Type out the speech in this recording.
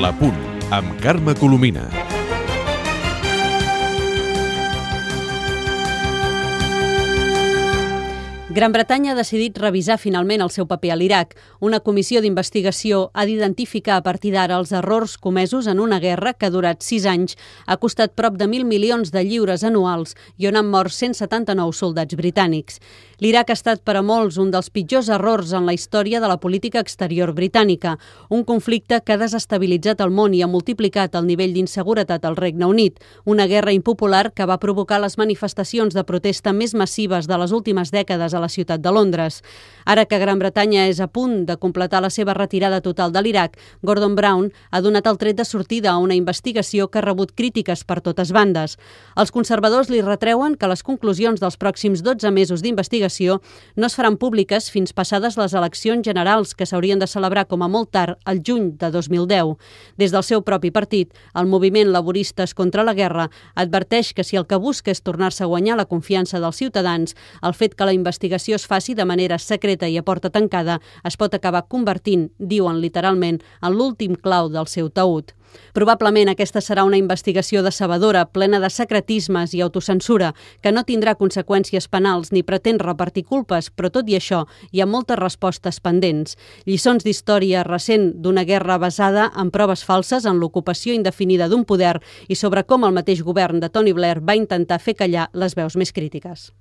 L'Apunt, amb Carme Colomina. Gran Bretanya ha decidit revisar finalment el seu paper a l'Iraq. Una comissió d'investigació ha d'identificar a partir d'ara els errors comesos en una guerra que ha durat 6 anys, ha costat prop de 1.000 milions de lliures anuals i on han mort 179 soldats britànics. L'Iraq ha estat per a molts un dels pitjors errors en la història de la política exterior britànica, un conflicte que ha desestabilitzat el món i ha multiplicat el nivell d'inseguretat al Regne Unit, una guerra impopular que va provocar les manifestacions de protesta més massives de les últimes dècades a la ciutat de Londres. Ara que Gran Bretanya és a punt de completar la seva retirada total de l'Iraq, Gordon Brown ha donat el tret de sortida a una investigació que ha rebut crítiques per totes bandes. Els conservadors li retreuen que les conclusions dels pròxims 12 mesos d'investigació no es faran públiques fins passades les eleccions generals que s'haurien de celebrar com a molt tard al juny de 2010. Des del seu propi partit, el moviment Laboristes contra la Guerra adverteix que si el que busca és tornar-se a guanyar la confiança dels ciutadans, el fet que la investigació es faci de manera secreta i a porta tancada es pot acabar convertint, diuen literalment, en l'últim clau del seu taüt. Probablement aquesta serà una investigació decebedora, plena de secretismes i autocensura, que no tindrà conseqüències penals ni pretén repartir culpes, però tot i això hi ha moltes respostes pendents. Lliçons d'història recent d'una guerra basada en proves falses, en l'ocupació indefinida d'un poder i sobre com el mateix govern de Tony Blair va intentar fer callar les veus més crítiques.